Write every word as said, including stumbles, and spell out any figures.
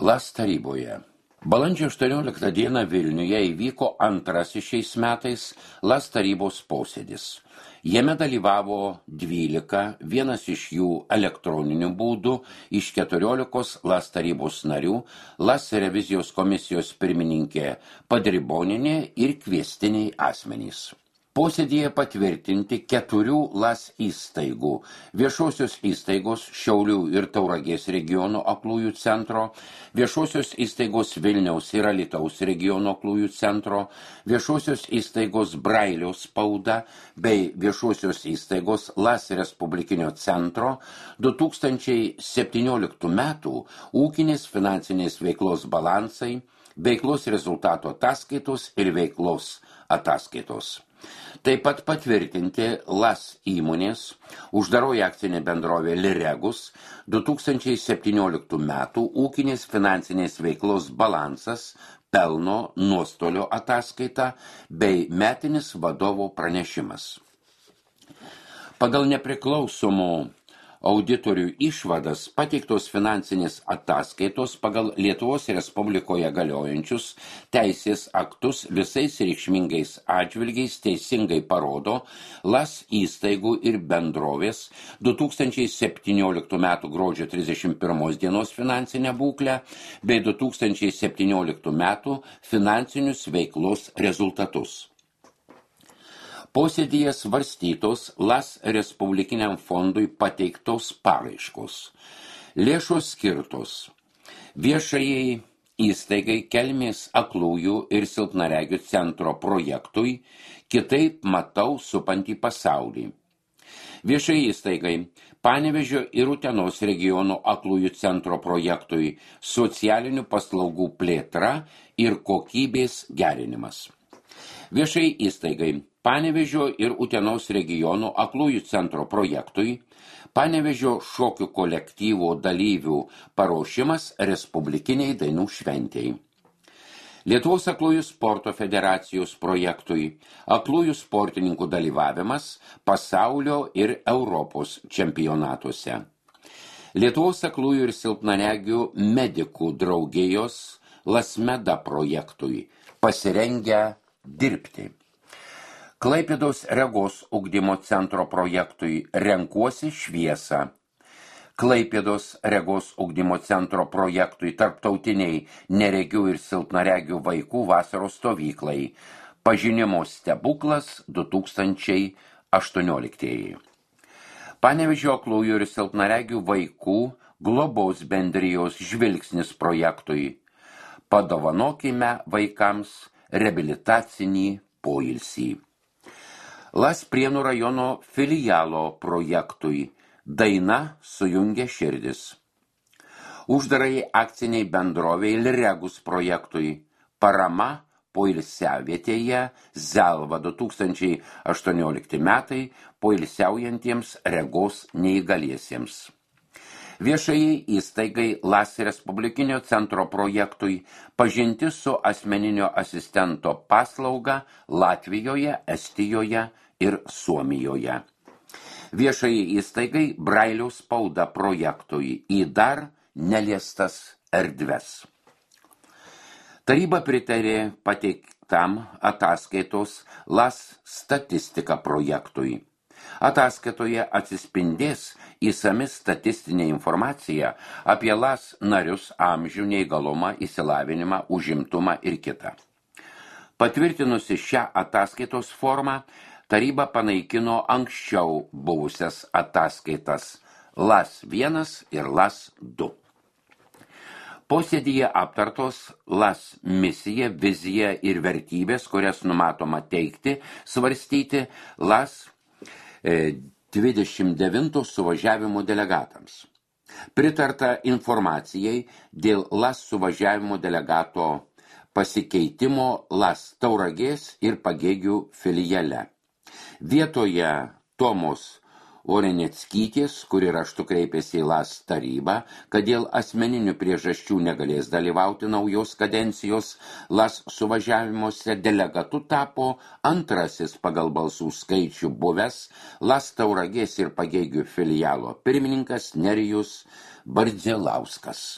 LAS taryboje. Balandžio aštuonioliktą dieną Vilniuje įvyko antrasis šiais metais LAS tarybos posėdis. Jame dalyvavo dvylika, vienas iš jų elektroniniu būdu, iš keturiolikos LAS tarybos narių, LAS revizijos komisijos pirmininkė Padribonienė ir kviestiniai asmenys. Posėdyje patvirtinti keturių LAS įstaigų – viešosios įstaigos Šiaulių ir Tauragės regiono aklųjų centro, viešosios įstaigos Vilniaus ir Alytaus regiono aklųjų centro, viešosios įstaigos Brailio spauda bei viešosios įstaigos LAS Respublikinio centro du tūkstančiai septynioliktų metų ūkinės finansinės veiklos balansai, veiklos rezultato ataskaitos ir veiklos ataskaitos. Taip pat patvirtinti LAS įmonės, uždaroji akcinė bendrovė Liregus, du tūkstančiai septynioliktų metų ūkinės finansinės veiklos balansas, pelno nuostolio ataskaita bei metinis vadovo pranešimas. Pagal nepriklausomų auditorių išvadas pateiktos finansinės ataskaitos pagal Lietuvos Respublikoje galiojančius teisės aktus visais reikšmingais atžvilgiais teisingai parodo LAS įstaigų ir bendrovės du tūkstančiai septynioliktų metų gruodžio trisdešimt pirmos dienos finansinę būklę bei du tūkstančiai septynioliktų metų finansinius veiklos rezultatus. Posėdyje svarstytos LAS Respublikiniam fondui pateiktos paraiškos. Lėšos skirtos viešajai įstaigai Kelmės aklųjų ir silpnaregių centro projektui Kitaip matau supantį pasaulį. Viešai įstaigai Panevėžio ir Utenos regiono aklųjų centro projektui Socialinių paslaugų plėtra ir kokybės gerinimas. Viešai įstaigai Panevėžio ir Utenos regiono aklųjų centro projektui Panevėžio šokių kolektyvo dalyvių paruošimas Respublikiniai dainų šventei. Lietuvos aklųjų sporto federacijos projektui aklųjų sportininkų dalyvavimas pasaulio ir Europos čempionatuose. Lietuvos aklųjų ir silpnaregių medikų draugijos LASMEDA projektui pasirengę dirbti. Klaipėdos regos ugdymo centro projektui Renkuosi šviesą. Klaipėdos regos ugdymo centro projektui tarptautiniai neregių ir silpnaregių vaikų vasaros stovyklai. Pažinimo stebuklas du tūkstančiai aštuonioliktieji. Panevėžio aklųjų ir silpnaregių vaikų globos bendrijos žvilgsnis projektui. Padovanokime vaikams reabilitacinį poilsį. LAS Prienų rajono filialo projektui Daina sujungia širdis. Uždarai akciniai bendroviai Liregus projektui Parama poilsiavietėje Zelva du tūkstančiai aštuoniolikti metai poilsiaujantiems regos neįgaliesiems. Viešai įstaigai LAS Respublikinio centro projektui pažintis su asmeninio asistento paslauga Latvijoje, Estijoje ir Suomijoje. Viešai įstaigai Brailio spauda projektui į dar neliestas erdves. Taryba pritarė pateiktam ataskaitos LAS statistika projektui. Ataskaitoje atsispindės įsami statistinė informacija apie LAS narius amžių, neįgalumą, išsilavinimą, užimtumą ir kitą. Patvirtinusi šią ataskaitos formą, taryba panaikino anksčiau buvusias ataskaitas LAS vienas ir LAS du. Posėdyje aptartos LAS misija, vizija ir vertybės, kurias numatoma teikti, svarstyti LAS dvidešimt devinto suvažiavimo delegatams. Pritarta informacijai dėl LAS suvažiavimo delegato pasikeitimo LAS Tauragės ir Pagėgių filiale. Vietoje Tomos Oreneckytės, kuri raštu kreipėsi į LAS tarybą, kad dėl asmeninių priežasčių negalės dalyvauti naujos kadencijos LAS suvažiavimuose, delegatu tapo antrasis pagal balsų skaičių buvęs LAS Tauragės ir Pagėgių filialo pirmininkas Nerijus Bardzilauskas.